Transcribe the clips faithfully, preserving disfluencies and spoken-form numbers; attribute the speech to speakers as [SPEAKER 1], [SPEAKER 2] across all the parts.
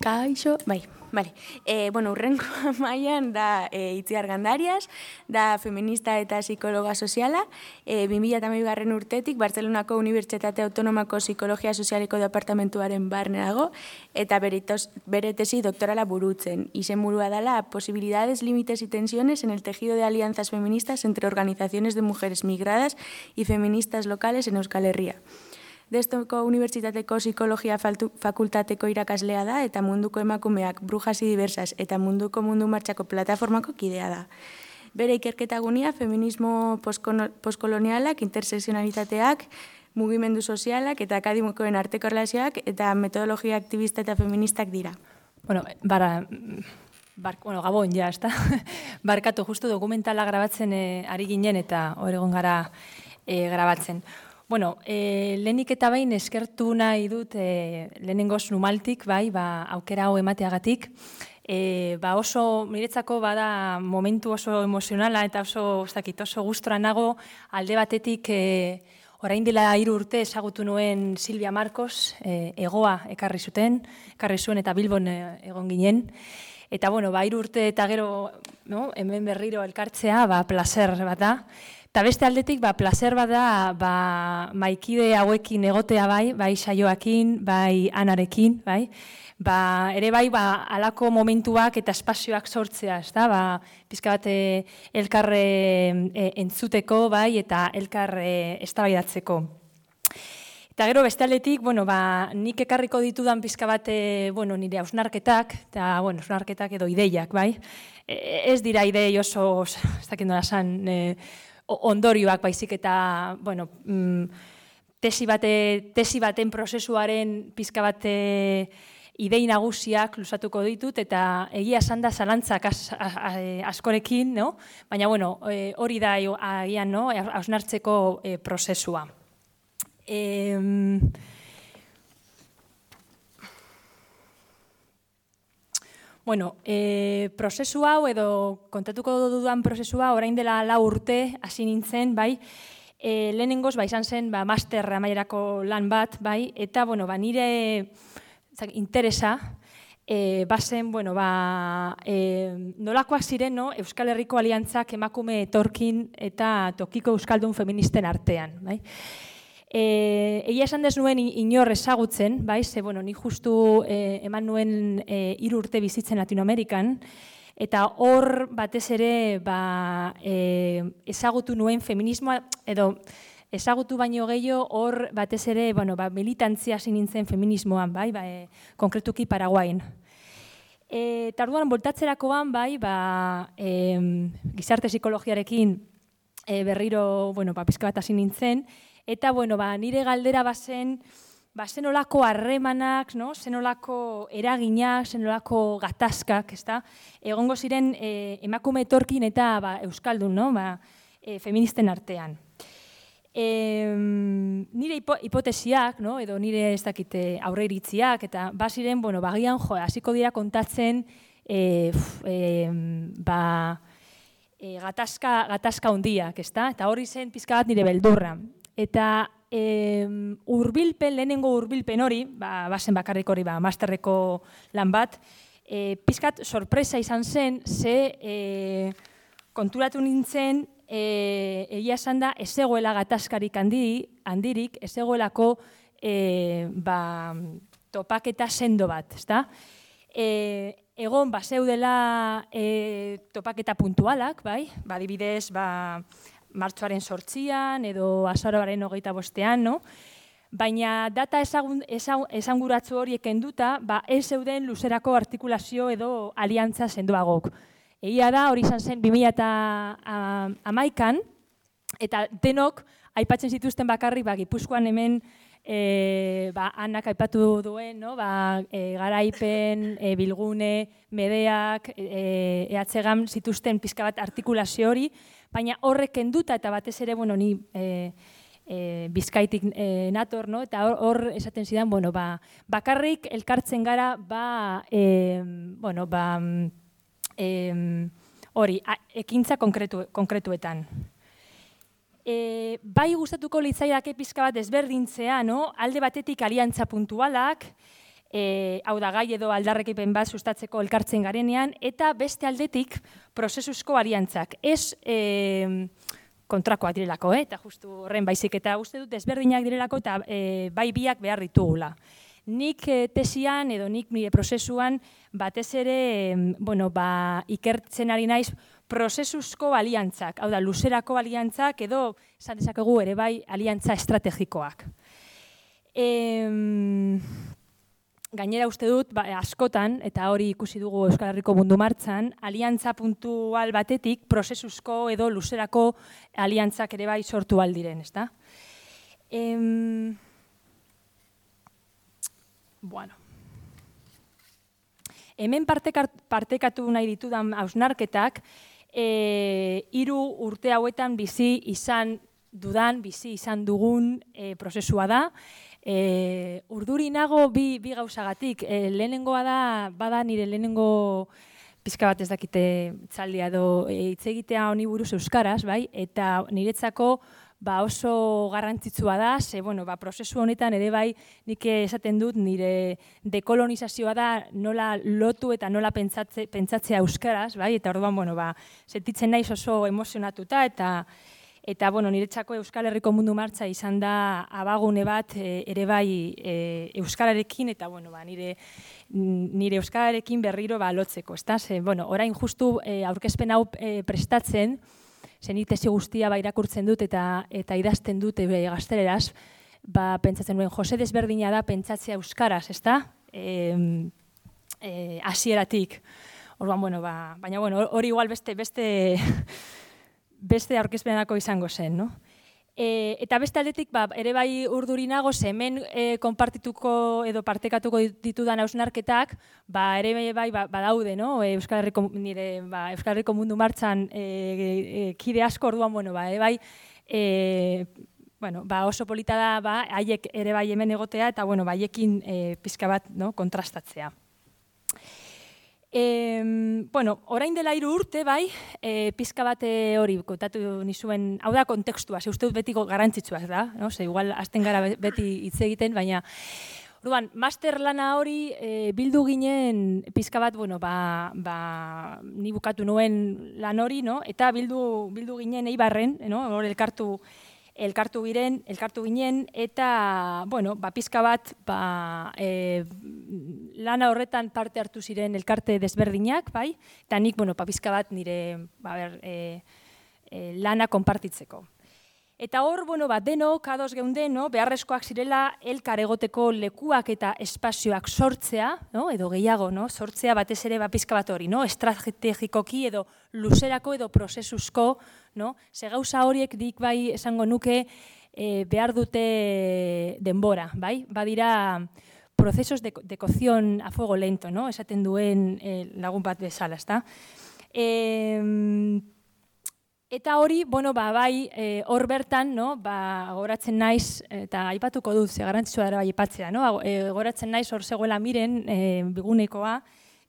[SPEAKER 1] Kaixo, bai, bale. E, bueno, urrenko mailan da e, Itziar Gandarias, da feminista eta psikologa soziala, e, bi mila hamabigarren urtetik Bartzelonako Unibertsitate Autonomako Psikologia Sozialeko Departamentuaren barne dago, eta bere, tos, bere tesi doktorala burutzen. Izenburua dela posibilidades, límites y tensiones en el tejido de alianzas feministas entre organizaciones de mujeres migradas y feministas locales en Euskal Herria. Destoko Unibertsitateko Psikologia Fakultateko irakaslea da eta munduko emakumeak brujas y diversas eta munduko mundu martxako plataformako kidea da. Bere ikerketa gunia feminismo postkolonialak, interseksionalitateak, mugimendu sozialak eta akademikoen arteko erlazioak eta metodologia aktivista eta feministak dira.
[SPEAKER 2] Bueno, bara... Bar, bueno, gabon, ja, ez da? Barkatu, justu dokumentala grabatzen eh, ari ginen eta hor egon gara eh, grabatzen. Bueno, eh, lehenik eta behin eskertu nahi dut eh, lehenengoz Numaltik, bai, ba, aukera hau emateagatik. Eh, ba oso, niretzako bada momentu oso emozionala eta oso, ez dakit, oso gustora nago alde batetik eh, orain dela hiru urte ezagutu nuen Silvia Marcos, eh, egoa ekarri zuten, ekarri zuen eta Bilbon eh, egon ginen. Eta, bueno, ba, hiru urte eta gero, no, hemen berriro elkartzea, ba, placer bat da. Eta beste aldetik, ba, placer bat da, ba, maikide hauekin egotea bai, bai saioakin, bai anarekin, bai. Ba, ere bai, ba, alako momentuak eta espazioak sortzea, ez da, ba, pizka bat elkarre e, entzuteko, bai, eta elkarre eztabaidatzeko. Eta gero beste aldetik, bueno, ba, nik ekarriko ditudan pizka bat, bueno, nire hausnarketak, eta, bueno, hausnarketak edo ideiak, bai. E, ez dira idei oso, ez dakit nola esan, e, ondorioak baizik eta, bueno, tesi, bate, tesi baten prozesuaren pizka bate idei nagusiak luzatuko ditut, eta egia esan da zalantzak az, az, az, askorekin, no? Baina, bueno, e, hori da agian, no? Hausnartzeko e, prozesua. E, Bueno, e, prozesu hau edo kontatuko dudan prozesua orain dela lau urte hasi nintzen, bai, e, lehenengoz, ba, izan zen, ba, master amaierako lan bat, bai, eta, bueno, ba, nire zak, interesa, e, bazen, bueno, ba, e, nolakoak ziren, no, Euskal Herriko aliantzak emakume etorkin eta tokiko euskaldun feministen artean, bai. E, egia esan dez nuen inor ezagutzen, bai, ze, bueno, ni justu e, eman nuen e, hiru urte bizitzen Latinoamerikan, eta hor batez ere ba, e, ezagutu nuen feminismoa, edo ezagutu baino gehiago hor batez ere, bueno, ba, militantzia hasi nintzen feminismoan, bai, ba, e, konkretuki Paraguain. E, eta orduan, voltatzerakoan, bai, ba, e, gizarte psikologiarekin e, berriro, bueno, ba, pizka bat hasi nintzen, eta, bueno, ba, nire galdera bazen, ba, zenolako harremanak, no? Zenolako eraginak, zenolako gatazkak, ezta? Egongo ziren e, emakume etorkin eta ba, euskaldun, no? Ba, e, feministen artean. E, nire hipo, hipotesiak, no? Edo nire ez dakite aurreiritziak, eta baziren, bueno, bagian, jo, hasiko dira kontatzen, e, e, ba, e, gatazka, gatazka hundiak, ezta? Eta hori zen pizka bat nire beldurra. Eta e, urbilpen, lehenengo urbilpen hori, ba, bazen bakarrik hori, ba, masterreko lan bat, e, pizkat sorpresa izan zen, ze e, konturatu nintzen, e, egia esan da, ez egoela gatazkarik handi, handirik, ez egoelako e, ba, topaketa sendo bat, ezta? E, egon, ba, zeudela e, topaketa puntualak, bai? Ba, adibidez, ba, martxoaren sortzian edo azaroaren hogeita bostean, no? Baina data ezagun, esanguratzu horiek kenduta, ba, ez zeuden luzerako artikulazio edo aliantza sendoagok. Egia da, hori izan zen bi mila hamaikan, eta denok aipatzen zituzten bakarrik, ba, Gipuzkoan hemen e, ba, Anak aipatu duen, no? Ba, e, Garaipen, e, Bilgune, Medeak, e, ehatzegan zituzten pizka bat artikulazio hori, baina horrek kenduta eta batez ere, bueno, ni e, e, Bizkaitik e, nator, no? Eta hor, hor esaten zidan, bueno, ba, bakarrik elkartzen gara, ba, e, bueno, ba, e, hori, ekintza konkretu, konkretuetan. E, bai gustatuko litzaidake pizka bat ezberdintzea, no? Alde batetik aliantza puntualak, e, hau da gai edo aldarrekipen bat sustatzeko elkartzen garenean, eta beste aldetik prozesuzko aliantzak. Ez e, kontrakoak direlako, eh? Eta justu horren baizik, eta uste dut ezberdinak direlako, eta e, bai biak behar ditugula. Nik e, tesian edo nik nire prozesuan batez ere e, bueno, ba, ikertzen ari naiz prozesuzko aliantzak, hau da, luzerako aliantzak edo, esan dezakegu ere bai, aliantza estrategikoak. E, gainera uste dut, ba, askotan, eta hori ikusi dugu Euskal Herriko Mundu Martxan, aliantza puntual batetik prozesuzko edo luzerako aliantzak ere bai sortu aldiren, ezta? Em, bueno. Hemen partekatu nahi ditudan hausnarketak, e, hiru urte hauetan bizi izan dudan, bizi izan dugun e, prozesua da. E, urduri nago bi, bi gauzagatik. E, lehenengoa da, bada nire lehenengo pizka bat ez dakite txaldia edo hitz egitea honi buruz euskaraz, bai? Eta niretzako ba oso garrantzitsua da, ze bueno, ba prozesu honetan ere bai nik esaten dut nire dekolonizazioa da nola lotu eta nola pentsatze, pentsatzea euskaraz, bai? Eta orduan bueno, ba sentitzen naiz oso emozionatuta eta eta bueno, niretzako Euskal Herriko Mundu Martxa izan da abagune bat e, ere bai e, euskararekin eta bueno, ba nire nire euskararekin berriro ba lotzeko, ezta? Ze bueno, orain justu e, aurkezpen hau e, prestatzen zenit tesi guztia ba irakurtzen dut eta eta idazten dut e, gazteleraz, ba pentsatzen nuen Jose desberdina da pentsatzea euskaraz, ezta? Eh eh hasieratik. Orduan bueno, ba, baina bueno, hori igual beste beste beste aurkezpenarako izango zen, no? E, eta beste aldetik ba, ere bai urduri nago, hemen e, konpartituko edo partekatuko ditudan hausnarketak, ba, ere bai ba, badaude, no? E, Euskal Herriko, nire, ba, Euskal Herriko Mundu Martxan e, e, kide asko orduan, bueno, ba, ere bai, e, bueno, ba, oso polita da, ba, haiek ere bai hemen egotea, eta bueno, ba, haiekin e, pizka bat, no? Kontrastatzea. E, bueno, orain dela hiru urte, bai, e, pizka bat hori kontatu nizuen, hau da kontekstua, ze uste dut betiko garrantzitsua da, no? Ze igual hasten gara beti hitz egiten, baina orduan, master lana hori e, bildu ginen pizka bat, bueno, ba, ba, ni bukatu nuen lan hori, no? Eta bildu, bildu ginen Eibarren, no? Hor elkartu elkartu giren, elkartu ginen, eta, bueno, ba, pizka bat, ba, e, lana horretan parte hartu ziren elkarte desberdinak, bai, eta nik, bueno, ba, pizka bat nire, ba, ber, e, e, lana konpartitzeko. Eta hor, bueno, ba, denok, ados geunden, no, beharrezkoak zirela elkar egoteko lekuak eta espazioak sortzea, no, edo gehiago, no, sortzea batez ere ba, pizka bat hori, no, estrategikoki edo luzerako edo prozesuzko, no, ze gauza horiek dik bai esango nuke e, behar dute denbora, bai, badira procesos de, de cocción a fuego lento, no, esaten duen e, lagun bat bezala, ezta? E, Eta hori, bueno, ba, bai, hor e, bertan, no, ba, goratzen naiz, eta aipatuko dut, ze garrantzitsua dara bai aipatzea, no, e, goratzen naiz hor zegoela miren, e, bigunekoa,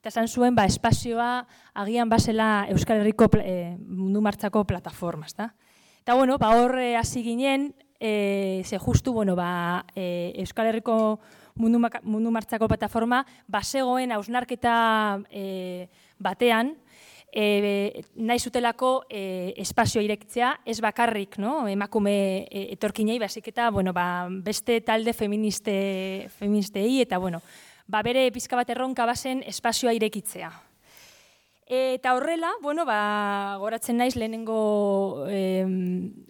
[SPEAKER 2] eta esan zuen, ba, espazioa agian basela Euskal Herriko e, Mundu Martxako plataforma, ezta? Eta, bueno, ba, hor hasi ginen, e, ze justu, bueno, ba, e, Euskal Herriko Mundu, Mundu Martxako plataforma, basegoen hausnarketa e, batean, E, nahi zutelako e, espazioa irekitzea, ez bakarrik, no? Emakume e, etorkinei, basik eta bueno, ba, beste talde feministe, feministei, eta bueno, ba, bere pizka bat erronka bazen espazioa irekitzea. E, eta horrela, bueno, ba, goratzen naiz lehenengo e,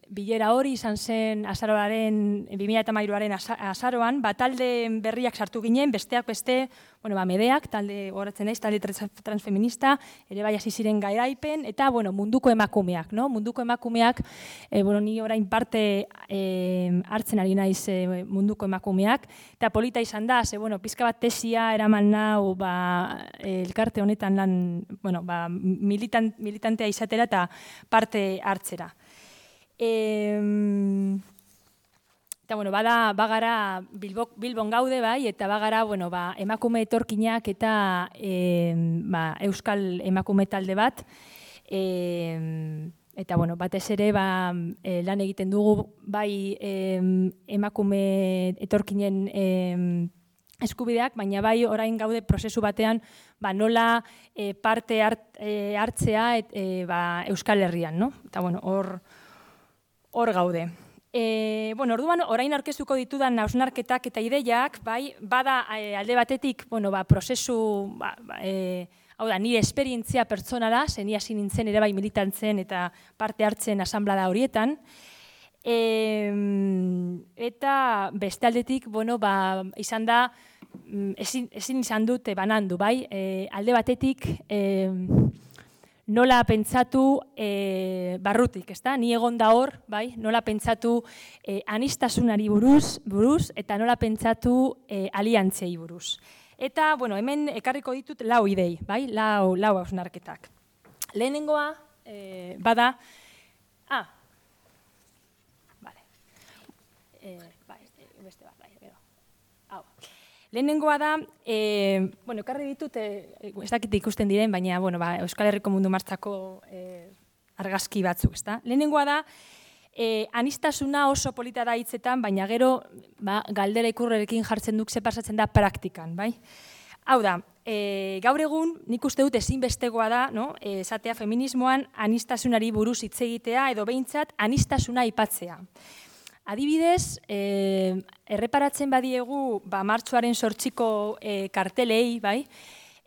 [SPEAKER 2] bilera hori izan zen azaroaren, bi mila hamairuaren azaroan, ba, talde berriak sartu ginen, besteak beste, bueno, ba, medeak, talde goratzen naiz, talde transfeminista, ere bai hasi ziren garaipen, eta, bueno, munduko emakumeak, no? Munduko emakumeak, e, bueno, ni orain parte e, hartzen ari naiz e, munduko emakumeak, eta polita izan da, ze, bueno, pizka bat tesia eraman nau, ba, elkarte honetan lan, bueno, ba, militan, militantea izatera eta parte hartzera. E, eta, bueno, bada, bagara Bilbo, Bilbon gaude, bai, eta bagara, bueno, ba, emakume etorkinak eta e, ba, Euskal emakume talde bat, e, eta, bueno, batez ere, ba, e, lan egiten dugu, bai, e, emakume etorkinen e, eskubideak, baina bai orain gaude prozesu batean ba, nola e, parte hart, e, hartzea et, e, ba, Euskal Herrian, no? Eta bueno, hor hor gaude. E, bueno, orduan orain aurkeztuko ditudan hausnarketak eta ideiak, bai, bada e, alde batetik, bueno, ba, prozesu, ba, ba, e, hau da, nire esperientzia pertsonala, zen hasi nintzen ere bai militantzen eta parte hartzen asanblada horietan. E, eta beste aldetik, bueno, ba, izan da, ezin, ezin izan dute banandu, bai, e, alde batetik, e, nola pentsatu e, barrutik, ezta? Ni egon da hor, bai, nola pentsatu e, anistasunari buruz, buruz, eta nola pentsatu e, aliantzei buruz. Eta, bueno, hemen ekarriko ditut lau idei, bai, lau, lau hausnarketak. Lehenengoa, e, bada, ah, bale, e, bai, beste bat, bai, gero, hau. Lehenengoa da, e, bueno, ekarri ditut, e, ez dakit ikusten diren, baina, bueno, ba, Euskal Herriko Mundu Martxako e, argazki batzuk, ezta? Lehenengoa da, e, anistasuna oso polita da hitzetan, baina gero, ba, galdera ikurrerekin jartzen duk ze pasatzen da praktikan, bai? Hau da, e, gaur egun, nik uste dut ezinbestegoa da, no? E, esatea feminismoan anistasunari buruz hitz egitea edo behintzat anistasuna aipatzea. Adibidez, eh, erreparatzen badiegu ba, martxoaren sortxiko eh, kartelei, bai,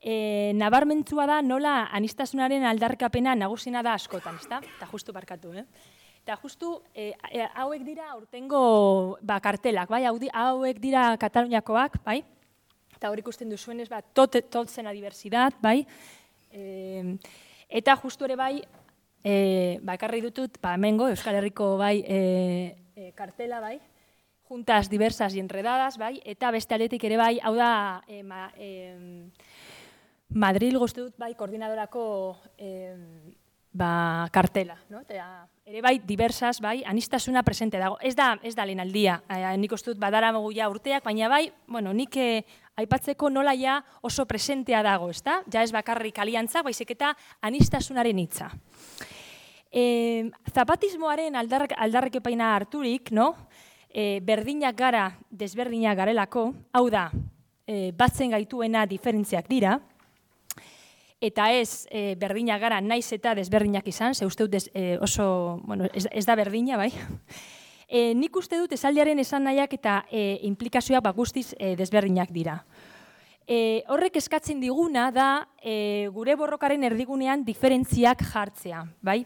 [SPEAKER 2] eh, nabarmentzua da nola anistasunaren aldarkapena nagusina da askotan, ezta? Eta justu barkatu, eh? Eta justu eh, hauek dira aurtengo ba, kartelak, bai, hauek dira Kataluniakoak, bai? Eta hor ikusten duzuenez, ba, tot, totzen a diversidad, bai? Eh, eta justu ere bai, eh, ba, ekarri dutut, ba, hemengo, Euskal Herriko, bai, eh, kartela, bai, juntas diversas y enredadas, bai, eta beste aldetik ere bai, hau da, e, ma, e, Madril guzti dut, bai, koordinadorako e, ba, kartela, no? Eta ere bai, diversas, bai, anistasuna presente dago. Ez da, ez da lehen aldia, e, nik uste dut badara mogu ja urteak, baina bai, bueno, nik e, aipatzeko nola ja oso presentea dago, ez da? Ja ez bakarrik aliantza, baizik eta anistasunaren hitza. E, zapatismoaren aldarrek, aldarrekepaina harturik, no? E, berdinak gara, desberdinak garelako, hau da, e, batzen gaituena diferentziak dira, eta ez e, berdinak gara naiz eta desberdinak izan, ze uste dut des, e, oso, bueno, ez, ez da berdina, bai? E, nik uste dut esaldiaren esan nahiak eta e, implikazioak ba, guztiz e, desberdinak dira. E, horrek eskatzen diguna da e, gure borrokaren erdigunean diferentziak jartzea, bai?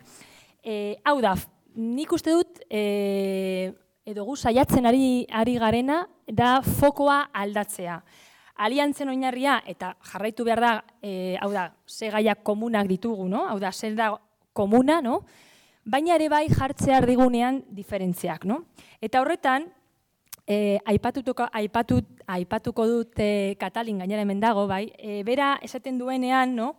[SPEAKER 2] E, hau da, nik uste dut, e, edo gu saiatzen ari, ari garena, da fokoa aldatzea. Aliantzen oinarria, eta jarraitu behar da, e, hau da, ze gaiak komunak ditugu, no? Hau da, zer da komuna, no? Baina ere bai jartzea erdigunean diferentziak, no? Eta horretan, e, aipatutuko, aipatut, aipatuko dut e, Katalin gainera hemen dago, bai? E, bera esaten duenean, no?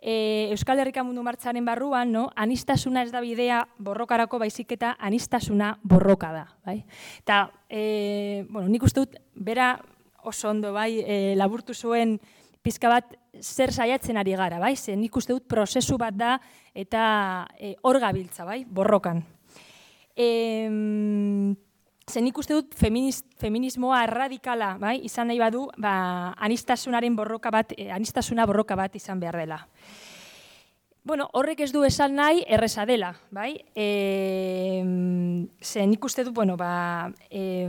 [SPEAKER 2] E, Euskal Herriko Mundu Martxaren barruan, no? Anistasuna ez da bidea borrokarako baizik eta anistasuna borroka da, bai? Eta, e, bueno, nik uste dut, bera oso ondo, bai, e, laburtu zuen pizka bat zer saiatzen ari gara, bai? Ze nik uste dut prozesu bat da eta e, hor gabiltza, bai, borrokan. E, ze nik uste dut feminist, feminismoa erradikala, bai, izan nahi badu, ba, anistasunaren borroka bat, e, anistasuna borroka bat izan behar dela. Bueno, horrek ez du esan nahi erreza dela, bai? E, ze nik uste dut, bueno, ba, e,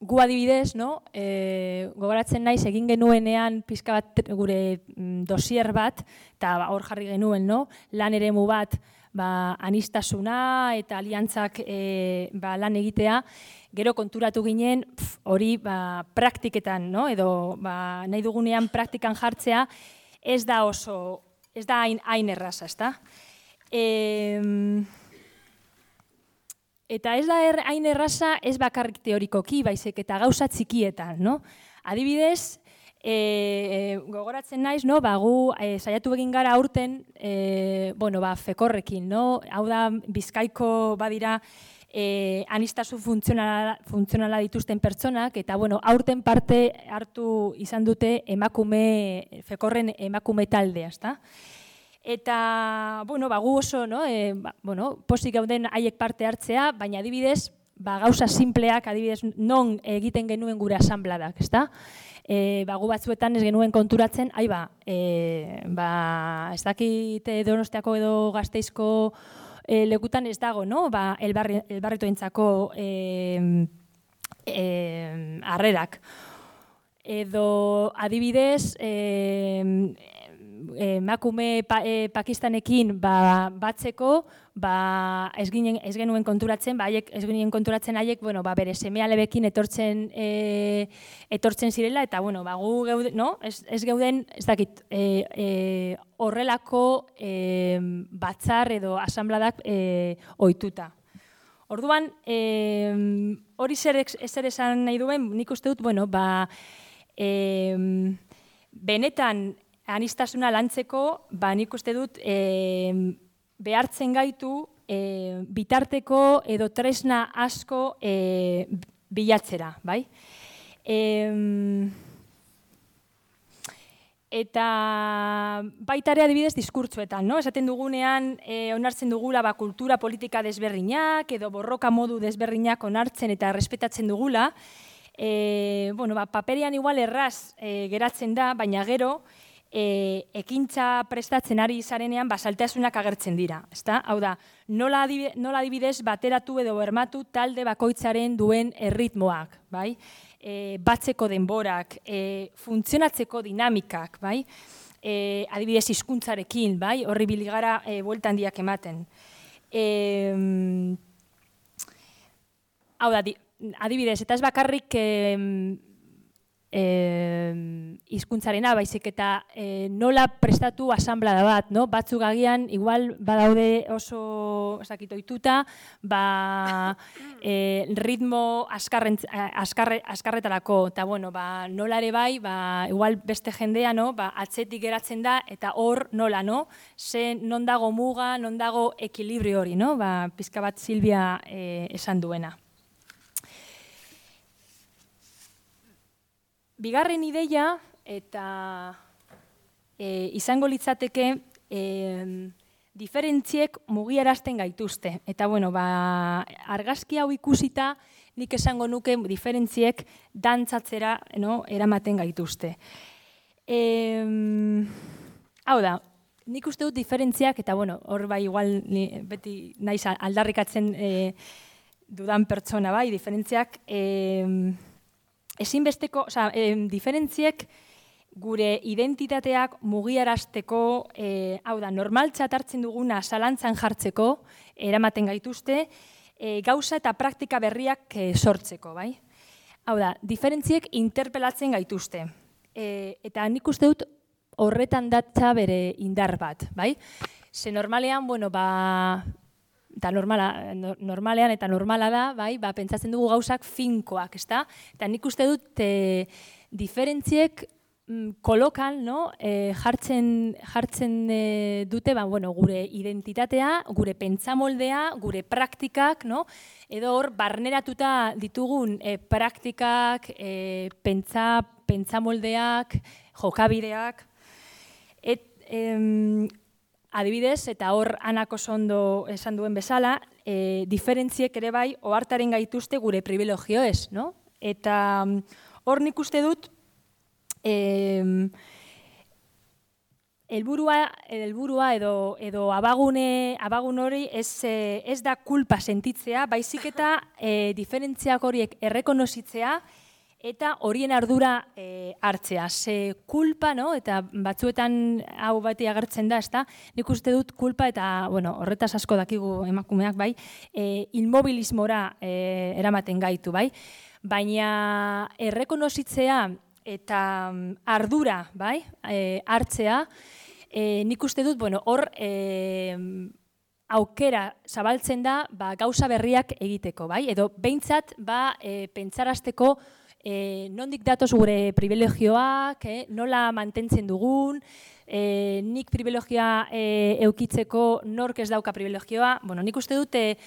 [SPEAKER 2] gu adibidez, no? E, gogoratzen naiz egin genuenean pizka bat gure dosier bat, eta ba, hor jarri genuen, no? Lan eremu bat, ba, anistasuna eta aliantzak e, ba, lan egitea, gero konturatu ginen hori ba, praktiketan, no? Edo ba, nahi dugunean praktikan jartzea, ez da oso, ez da hain, hain erraza, ezta? E, eta ez da er, hain erraza ez bakarrik teorikoki, baizik eta gauza txikietan, no? Adibidez, e, gogoratzen naiz, no? Ba, gu e, saiatu egin gara aurten, e, bueno, ba, fekorrekin, no? Hau da, Bizkaiko badira e, anistasun funtzionala, funtzionala dituzten pertsonak, eta bueno, aurten parte hartu izan dute emakume, fekorren emakume taldea, ezta? Eta, bueno, ba, gu oso, no? E, ba, bueno, posik gauden haiek parte hartzea, baina adibidez, ba, gauza simpleak, adibidez, non egiten genuen gure asanbladak, ezta? E, ba, gu batzuetan ez genuen konturatzen, ai ba, e, ba, ez dakit Donostiako edo Gasteizko e, lekutan ez dago, no? Ba, elbarri, elbarritoentzako e, e, harrerak. Edo adibidez, e, emakume pa, e, Pakistanekin ba, batzeko, ba, ez, ginen, ez genuen konturatzen, ba, haiek, ez ginen konturatzen haiek, bueno, ba, bere seme-alebekin etortzen, e, etortzen zirela, eta bueno, ba, gu geuden, no? ez, ez geuden, ez dakit, e, e, horrelako e, batzar edo asanbladak e, ohituta. Orduan, e, hori zer, zer esan nahi duen, nik uste dut, bueno, ba, e, benetan, anistasuna lantzeko, ba, nik uste dut, e, behartzen gaitu e, bitarteko edo tresna asko e, bilatzera, bai? E, eta baita ere adibidez diskurtzuetan, no? Esaten dugunean, e, onartzen dugula ba, kultura politika desberdinak edo borroka modu desberdinak onartzen eta errespetatzen dugula, e, bueno, ba, paperian igual erraz e, geratzen da, baina gero, E, ekintza prestatzen ari zarenean basaltasunak agertzen dira. Ezta? Hau da, nola adibidez bateratu edo bermatu talde bakoitzaren duen erritmoak, bai? E, batzeko denborak, e, funtzionatzeko dinamikak, bai? E, adibidez hizkuntzarekin, bai? Horri biligara e, bueltan diak ematen. E, hau da, adibidez, eta ez bakarrik e, hizkuntzarena, e, baizik eta e, nola prestatu asanblada bat, no? Batzuk agian, igual badaude oso ohituta, ba, e, ritmo askarren, askarre, askarretarako, eta bueno, ba, nola ere bai, ba, igual beste jendea, no? Ba, atzetik geratzen da, eta hor nola, no? Ze non dago muga, non dago ekilibrio hori, no? Ba, pizka bat Silvia e, esan duena. Bigarren ideia, eta e, izango litzateke, e, diferentziek mugiarazten gaituzte. Eta, bueno, ba, argazki hau ikusita, nik esango nuke diferentziek dantzatzera, no, eramaten gaituzte. E, hau da, nik uste dut diferentziak, eta, bueno, hor bai, igual, ni, beti naiz aldarrikatzen e, dudan pertsona, bai, diferentziak, e, ezinbesteko, oza, e, diferentziek gure identitateak mugiarazteko, e, hau da, normaltzat hartzen duguna zalantzan jartzeko, eramaten gaituzte, e, gauza eta praktika berriak e, sortzeko, bai? Hau da, diferentziek interpelatzen gaituzte. E, eta nik uste dut horretan datza bere indar bat, bai? Ze normalean, bueno, ba... eta normala, normalean eta normala da, bai, ba, pentsatzen dugu gauzak finkoak, ezta? Eta nik uste dut e, diferentziek mm, kolokan, no? e, jartzen, jartzen e, dute ba, bueno, gure identitatea, gure pentsamoldea, gure praktikak, no? Edo hor barneratuta ditugun e, praktikak, e, pentsa, pentsamoldeak, jokabideak, et, em, adibidez, eta hor Anak oso ondo esan duen bezala, e, diferentziek ere bai ohartaren gaituzte gure privilegioez, no? Eta hor nik uste dut e, helburua, helburua edo, edo abagune, abagun hori ez, ez da kulpa sentitzea, baizik eta e, diferentziak horiek errekonozitzea, eta horien ardura e, hartzea. Ze kulpa, no? Eta batzuetan hau bati agertzen da, ezta? Nik uste dut kulpa eta, bueno, horretaz asko dakigu emakumeak, bai, e, inmobilismora e, eramaten gaitu, bai? Baina errekonozitzea eta ardura, bai, e, hartzea, e, nik uste dut, bueno, hor e, aukera zabaltzen da ba, gauza berriak egiteko, bai? Edo behintzat ba, e, pentsarazteko E, nondik datoz gure privilegioak, eh, nola mantentzen dugun, e, nik privilegioa e, eukitzeko nork ez dauka privilegioa. Bueno, nik uste dute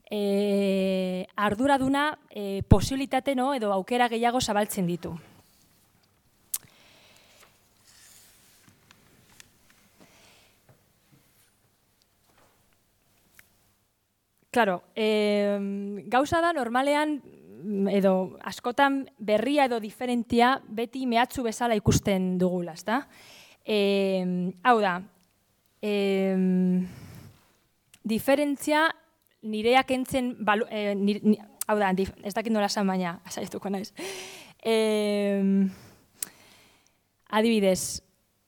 [SPEAKER 2] e, arduraduna e, posibilitate, no, edo aukera gehiago zabaltzen ditu. Claro, eh, gauza da normalean, edo askotan berria edo diferentia beti mehatxu bezala ikusten dugula, ezta? Eh, hau da, eh, diferentzia nireak entzen, eh, nire, ni, hau da, dif, ez dakit nola esan baina, asaituko naiz. Eh, adibidez,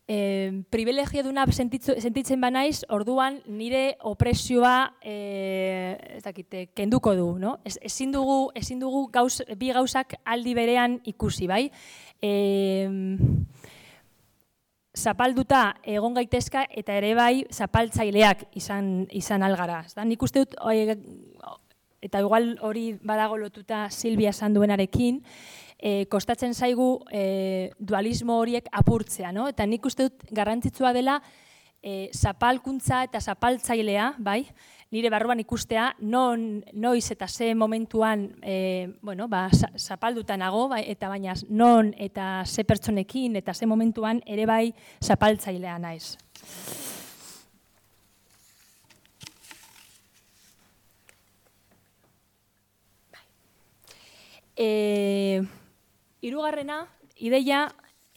[SPEAKER 2] eh, privilegio duna sentitzen banaiz, orduan nire opresioa eh, ez dakite, kenduko du, no? Ez, ezin dugu, ezin dugu gauz, bi gauzak aldi berean ikusi, bai? Eh, zapalduta egon gaitezka eta ere bai zapaltzaileak izan, izan algara. Nik uste dut, eta igual hori badago lotuta Silvia esan duenarekin, E, kostatzen zaigu e, dualismo horiek apurtzea, no? Eta nik uste dut garrantzitsua dela e, zapalkuntza eta zapaltzailea, bai? Nire barruan ikustea, non, noiz eta ze momentuan e, bueno, ba, zapalduta nago, bai, eta baina non eta ze pertsonekin eta ze momentuan ere bai zapaltzailea naiz. E, Hirugarrena, ideia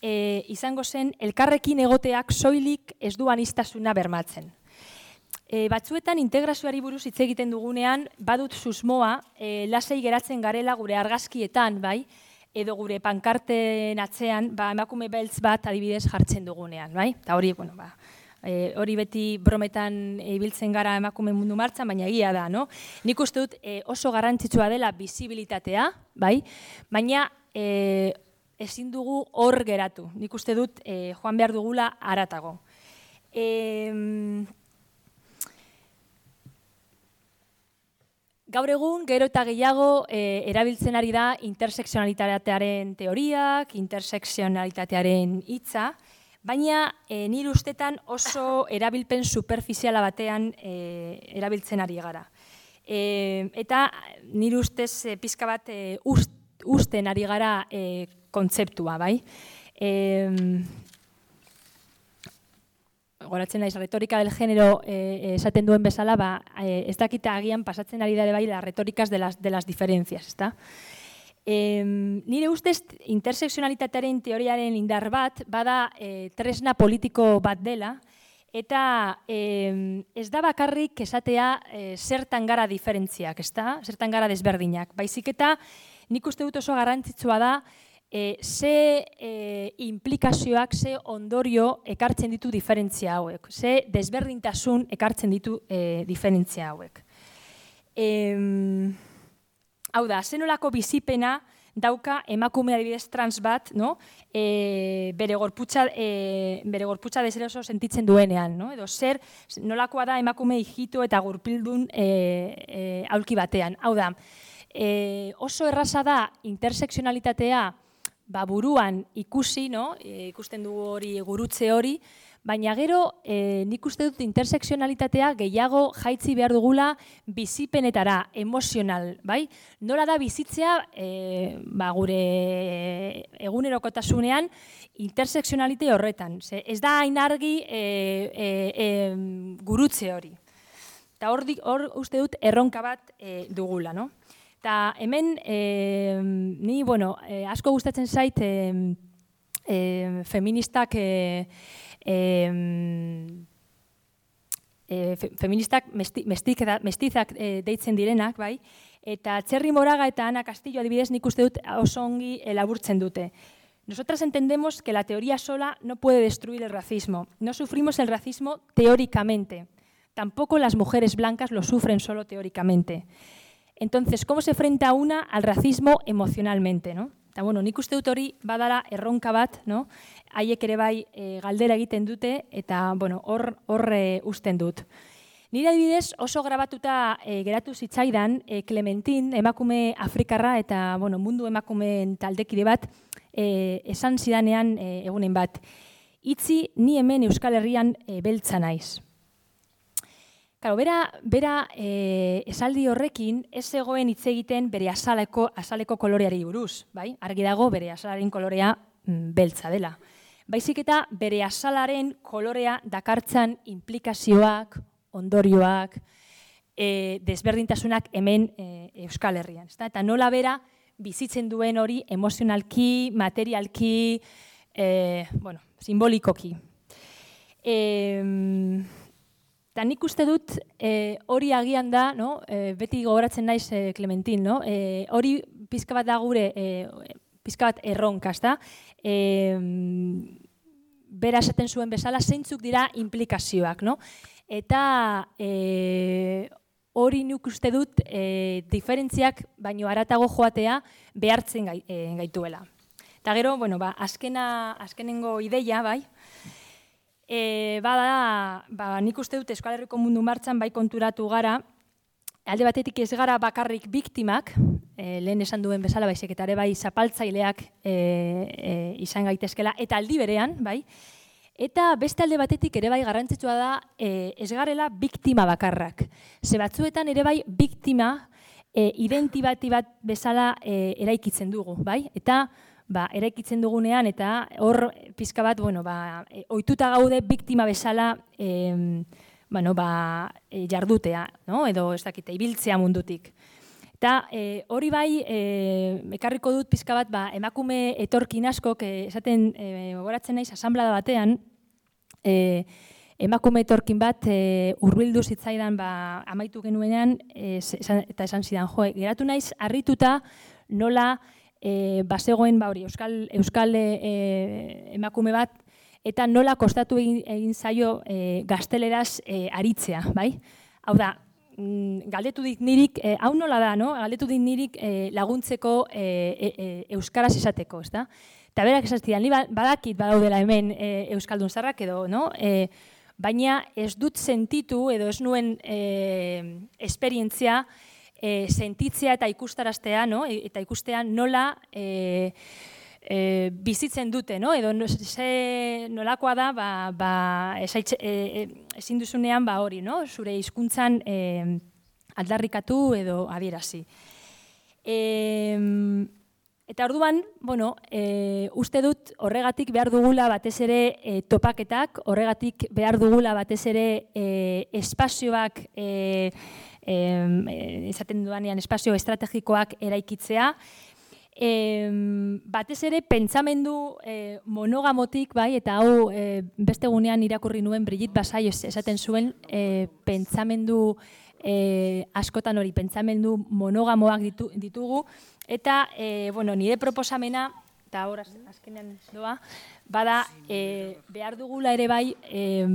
[SPEAKER 2] e, izango zen elkarrekin egoteak soilik ez du aniztasuna bermatzen. E, batzuetan integrazioari buruz hitz egiten dugunean, badut susmoa, e, lasei geratzen garela gure argazkietan, bai, edo gure pankarten atzean, ba, emakume beltz bat adibidez jartzen dugunean, bai? Eta hori, bueno, ba, e, hori beti brometan ibiltzen gara emakume mundu martxan, baina egia da, no? Nik uste dut e, oso garrantzitsua dela bizibilitatea, bai? Baina E, ezin dugu hor geratu. Nik uste dut e, joan behar dugula haratago. E, gaur egun, gero eta gehiago e, erabiltzen ari da interseksionalitatearen teoriak, interseksionalitatearen hitza, baina e, nire ustetan oso erabilpen superfiziala batean e, erabiltzen ari gara. E, eta nire ustez e, pizka bat e, ust, usten ari gara e, kontzeptua, bai? E, goratzen naiz, retorika del género e, esaten duen bezala, ba, e, ez dakita agian pasatzen ari dare bai las retóricas de las, de las diferencias, ezta? E, nire ustez, interseksionalitatearen teoriaren indar bat, bada e, tresna politiko bat dela, eta e, ez da bakarrik esatea e, zertan gara diferentziak, ezta? Zertan gara desberdinak. Baizik eta nik uste dut oso garrantzitsua da e, ze e, implikazioak, ze ondorio ekartzen ditu diferentzia hauek, ze desberdintasun ekartzen ditu e, diferentzia hauek. E, hau da, zenolako bizipena dauka emakume adibidez trans bat, no? e, bere gorputza, e, bere gorputza deseroso sentitzen duenean, no? Edo zer nolakoa da emakume hijito eta gurpildun e, e, aulki batean. Hau da, E, oso erraza da interseksionalitatea ba, buruan ikusi, no? e, ikusten dugu hori gurutze hori, baina gero e, nik uste dut interseksionalitatea gehiago jaitzi behar dugula bizipenetara, emozional, bai? Nola da bizitzea e, ba, gure egunerokotasunean interseksionalite horretan. Ze, ez da hain argi e, e, e, gurutze hori. Eta hor, hor uste dut erronka bat e, dugula, no? Eta hemen, e, ni, bueno, e, asko gustatzen zait e, e, feministak, e, e, e, fe, feministak mesti, mestik, mestizak e, deitzen direnak, bai? Eta Txerri Moraga eta Ana Castillo adibidez nik uste dut oso ongi elaburtzen dute. Nosotras entendemos que la teoría sola no puede destruir el racismo. No sufrimos el racismo teóricamente. Tampoco las mujeres blancas lo sufren solo teóricamente. Entonces, ¿cómo se enfrenta una al racismo emocionalmente, no? Eta, bueno, nik uste dut hori badala erronka bat, no? Haiek ere bai e, galdera egiten dute eta, bueno, hor, hor e, usten dut. Nire adibidez oso grabatuta e, geratu zitzaidan e, Clementin, emakume afrikarra eta, bueno, mundu emakumeen taldekide bat, e, esan zidanean e, egunen bat. Itzi, ni hemen Euskal Herrian e, beltza naiz. Claro, bera, bera e, esaldi horrekin ez zegoen hitz egiten bere azaleko, azaleko koloreari buruz, bai? Argi dago bere azalaren kolorea mm, beltza dela. Baizik eta bere azalaren kolorea dakartzan implikazioak, ondorioak, e, desberdintasunak hemen e, Euskal Herrian. Eta nola bera bizitzen duen hori emozionalki, materialki, e, bueno, simbolikoki. E, eta nik uste dut e, hori agian da, no? e, beti gogoratzen naiz e, Clementin, no? e, hori pizka bat da gure, e, pizka bat erronka, ezta? E, bera esaten zuen bezala, zeintzuk dira implikazioak, no? Eta e, hori nik uste dut e, diferentziak baino haratago joatea behartzen gai, e, gaituela. Eta gero, bueno, ba, azkena, azkenengo ideia, bai, e, bada, ba, nik uste dut Euskal Herriko mundu martxan bai konturatu gara, alde batetik ez gara bakarrik biktimak, e, lehen esan duen bezala, baizik eta ere bai zapaltzaileak e, e, izan gaitezkela, eta aldi berean, bai, eta beste alde batetik ere bai garrantzitsua da e, ez garela biktima bakarrak. Ze batzuetan ere bai biktima e, identibati bat bezala e, eraikitzen dugu, bai? Eta ba, eraikitzen dugunean eta hor pizka bat, bueno, ba, e, ohituta gaude biktima bezala e, bueno, ba, e, jardutea, no? Edo ez dakite, ibiltzea mundutik. Eta e, hori bai, e, ekarriko dut pizka bat, ba, emakume etorkin askok, e, esaten e, gogoratzen naiz asanblada batean, e, emakume etorkin bat e, hurbildu zitzaidan ba, amaitu genuenean, e, esan, eta esan zidan, jo, geratu naiz harrituta nola e, bazegoen ba, hori, euskal, euskal e, emakume bat, eta nola kostatu egin, egin zaio e, gazteleraz e, aritzea, bai? Hau da, galdetu dit nirik, eh, hau nola da, no? Galdetu dit nirik eh, laguntzeko eh, e, euskaraz esateko, ezta? Eta berak esaztidan, ni badakit badaudela hemen eh, euskaldun zarrak edo, no? Eh, baina ez dut sentitu edo ez nuen eh, esperientzia eh, sentitzea eta ikustaraztea, no? E, eta ikustea nola eh, E, bizitzen dute, no? Edo ze nolakoa da, ba, ba, esaitze, e, ezin duzunean ba hori, no? Zure hizkuntzan e, aldarrikatu edo adierazi. E, eta orduan, bueno, e, uste dut horregatik behar dugula batez ere e, topaketak, horregatik behar dugula batez ere e, espazioak, e, e, esaten dudanean espazio estrategikoak eraikitzea, E, batez ere pentsamendu e, monogamotik, bai, eta hau e, beste gunean irakurri nuen Brigitte Basai esaten zuen e, pentsamendu e, askotan hori, pentsamendu monogamoak ditu, ditugu, eta e, bueno, nire proposamena, eta hor azkenean doa, bada e, behar dugula ere bai, e,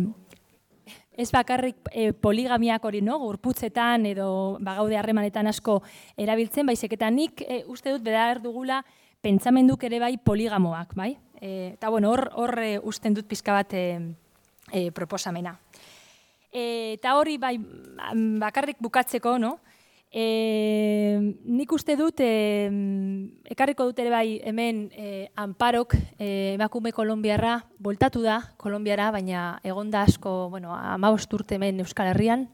[SPEAKER 2] ez bakarrik e, poligamiak hori, no? Gorputzetan edo bagaude harremanetan asko erabiltzen, baizik eta nik e, uste dut behar dugula pentsamenduk ere bai poligamoak, bai? E, eta bueno, hor, hor e, usten dut pizka bat e, e, proposamena. E, eta hori bai bakarrik bukatzeko, no? E, nik uste dut, e, ekarriko dut ere bai hemen e, Amparok, e, emakume kolonbiarra, voltatu da Kolonbiara, baina egonda asko, bueno, hamabost urte hemen Euskal Herrian.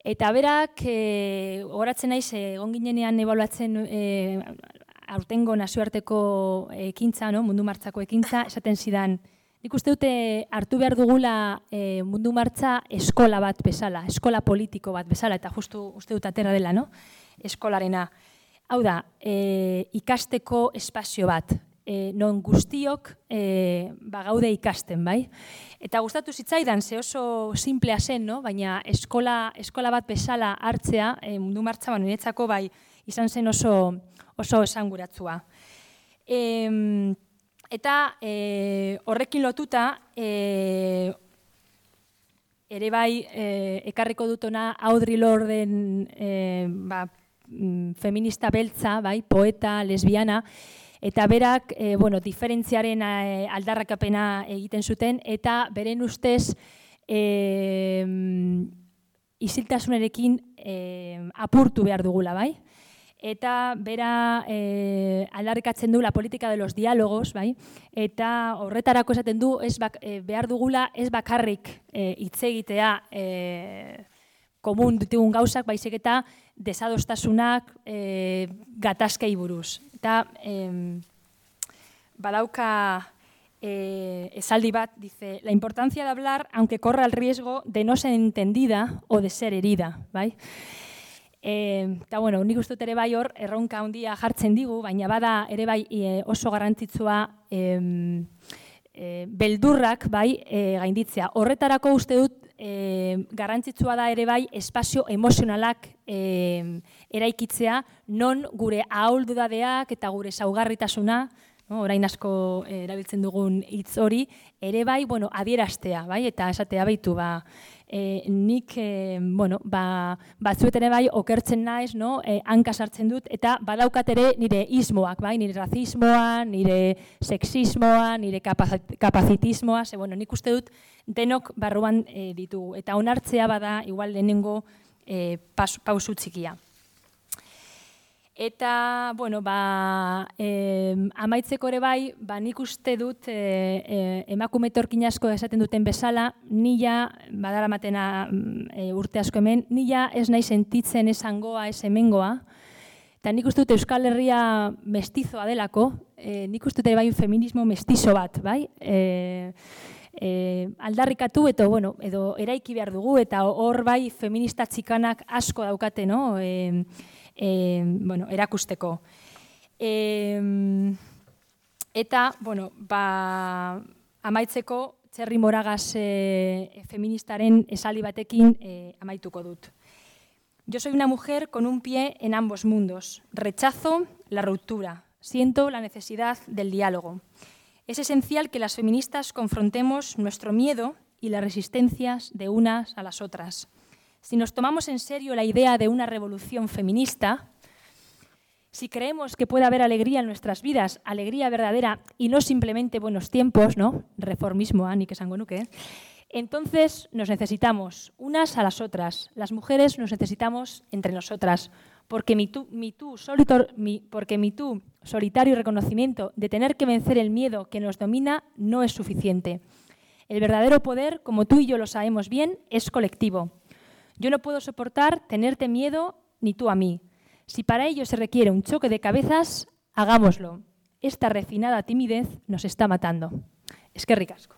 [SPEAKER 2] Eta berak, e, gogoratzen naiz, egon ginenean ebaluatzen e, aurtengo nazioarteko ekintza, no? Mundu martxako ekintza, esaten zidan, nik uste dute hartu behar dugula e, mundu martxa eskola bat bezala, eskola politiko bat bezala, eta justu uste dut atera dela, no? Eskolarena. Hau da, e, ikasteko espazio bat, e, non guztiok e, bagaude ikasten, bai? Eta gustatu zitzaidan, ze oso simplea zen, no? Baina eskola, eskola bat bezala hartzea, e, mundu martxa, ba, niretzako bai, izan zen oso, oso esanguratsua. E, Eta e, horrekin lotuta, e, ere bai e, ekarriko dutona Audre Lorden e, ba, feminista beltza, bai, poeta, lesbiana, eta berak e, bueno, diferentziaren e, aldarrakapena egiten zuten, eta beren ustez e, isiltasunarekin e, apurtu behar dugula, bai? Eta bera e, aldarrikatzen du la política de los diálogos, bai? Eta horretarako esaten du ez bak, e, behar dugula ez bakarrik e, hitz egitea e, komun ditugun gauzak, baizik eta desadostasunak e, gatazkei buruz. Eta e, badauka eh, esaldi bat, dice, la importancia de hablar aunque corra el riesgo de no ser entendida o de ser herida, bai? Eta, bueno, nik uste dut ere bai hor, erronka handia jartzen digu, baina bada ere bai e, oso garrantzitsua e, e, beldurrak bai e, gainditzea. Horretarako uste dut e, garrantzitsua da ere bai espazio emozionalak e, eraikitzea, non gure ahuldudadeak eta gure saugarritasuna, no, orain asko e, erabiltzen dugun hitz hori, ere bai, bueno, adieraztea, bai, eta esatea baitu, ba, E, nik, e, bueno, ba, batzuet ere bai okertzen naiz, no? E, hanka sartzen dut, eta badaukat ere nire ismoak, bai? Nire razismoa, nire sexismoa, nire kapazitismoa, ze, bueno, nik uste dut denok barruan e, ditugu. Eta onartzea bada, igual lehenengo e, pausu txikia. Eta, bueno, ba, eh, amaitzeko ere bai, ba, nik uste dut eh, eh, emakume etorkin asko esaten duten bezala, nila, badaramatena eh, urte asko hemen, nila ez nahi sentitzen esangoa, ez hemengoa, eta nik uste dut Euskal Herria mestizoa delako, eh, nik uste dut ere bai feminismo mestizo bat, bai? Eh, eh, aldarrikatu eta, bueno, edo eraiki behar dugu, eta hor bai feminista txikanak asko daukate, no? Eh, E, bueno, erakusteko. E, eta, bueno, ba, amaitzeko, Txerri Moragas e, feministaren esaldi batekin e, amaituko dut. Yo soy una mujer con un pie en ambos mundos. Rechazo la ruptura. Siento la necesidad del diálogo. Es esencial que las feministas confrontemos nuestro miedo y las resistencias de unas a las otras. Si nos tomamos en serio la idea de una revolución feminista, si creemos que puede haber alegría en nuestras vidas, alegría verdadera y no simplemente buenos tiempos, ¿no? Reformismo, nik esango nuke, entonces nos necesitamos unas a las otras. Las mujeres nos necesitamos entre nosotras, porque mi tú, mi tú, solitor, mi, porque mi tú solitario reconocimiento de tener que vencer el miedo que nos domina no es suficiente. El verdadero poder, como tú y yo lo sabemos bien, es colectivo. Yo no puedo soportar tenerte miedo ni tú a mí. Si para ello se requiere un choque de cabezas, hagámoslo. Esta refinada timidez nos está matando. Eskerrik asko.